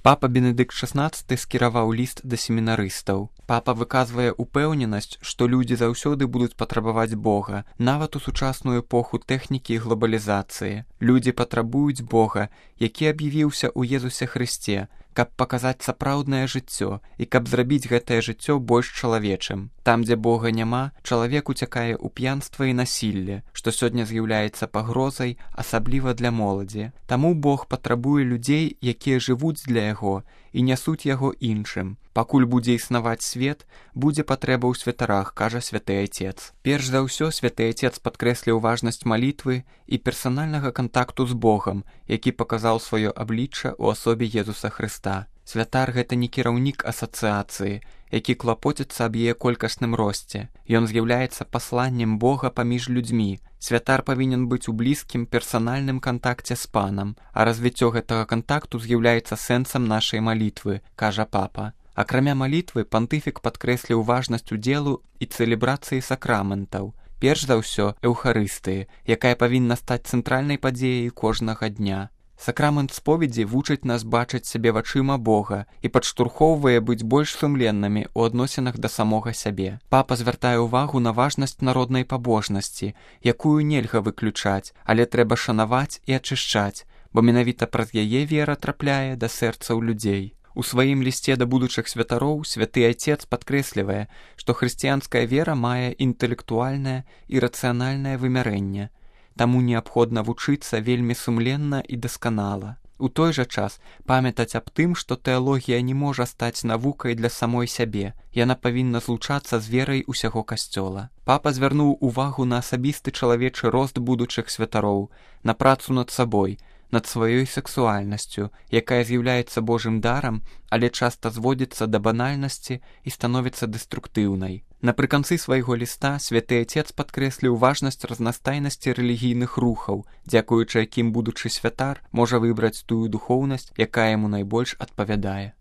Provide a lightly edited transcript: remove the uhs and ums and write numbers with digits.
Папа Бенедыкт XVI скіраваў ліст да семінарыстаў. Папа выказвае упэўненасць, што людзі заўсёды будуць патрабаваць Бога, нават у сучасную эпоху тэхнікі і глобалізацыі. Людзі патрабуюць Бога, які аб'явіўся ў Езусе Хрысце, каб паказаць сапраўднае жыццё і каб зрабіць гэтае жыццё больш чалавечым. Там, дзе Бога няма, чалавек уцякае ў п'янства і насілле, што сёння з'яўляецца пагрозай, асабліва для моладзі. Таму Бог патрабуе людзей, якія жывуць для Яго і нясуць Яго іншым. Пакуль будзе існаваць свет, будзе патрэба ў святарах, кажа святы Айцец. Перш за ўсё святы Айцец падкрэсліў важнасць малітвы і персанальнага кантакту з Богам, які паказаў сваё аблічча ў асобе Езуса Хрыста. Святар — гэта не кіраўнік асацыяцыі, які клапоціцца аб яе колькасным росце. Ён з'яўляецца пасланнем Бога паміж людзьмі. Святар павінен быць у блізкім персанальным кантакце з Панам, а развіццё гэтага кантакту з'яўляецца сэнсам нашай малітвы, кажа папа. Акрамя малітвы, пантыфік падкрэсліў важнасць удзелу і цэлебрацыі сакраментаў. Перш за ўсё, эўхарыстыі, якая павінна стаць цэнтральнай падзеяй кожнага дня. Сакрамент споведзі вучыць нас бачыць сябе вачыма Бога і падштурхоўвае быць больш сумленнымі ў адносінах да самога сябе. Папа звяртае ўвагу на важнасць народнай пабожнасці, якую нельга выключаць, але трэба шанаваць і ачышчаць, бо менавіта праз яе вера трапляе да сэрцаў людзей. У сваім лісце да будучых святароў святы Айцец падкрэслівае, што хрысціянская вера мае інтэлектуальнае і рацыянальнае вымярэнне, таму неабходна вучыцца вельмі сумленна і дасканала. У той жа час памятаць аб тым, што тэалогія не можа стаць навукай для самой сябе, яна павінна злучацца з верай усяго касцёла. Папа звярнуў увагу на асабісты чалавечы рост будучых святароў, на працу над сабой, над сваёй сексуальнасцю, якая з'яўляецца Божым дарам, але часта зводзіцца да банальнасці і становіцца дэструктыўнай. Напрыканцы свайго ліста святы Айцец падкрэсліў важнасць разнастайнасці рэлігійных рухаў, дзякуючы якім будучы святар можа выбраць тую духоўнасць, якая яму найбольш адпавядае.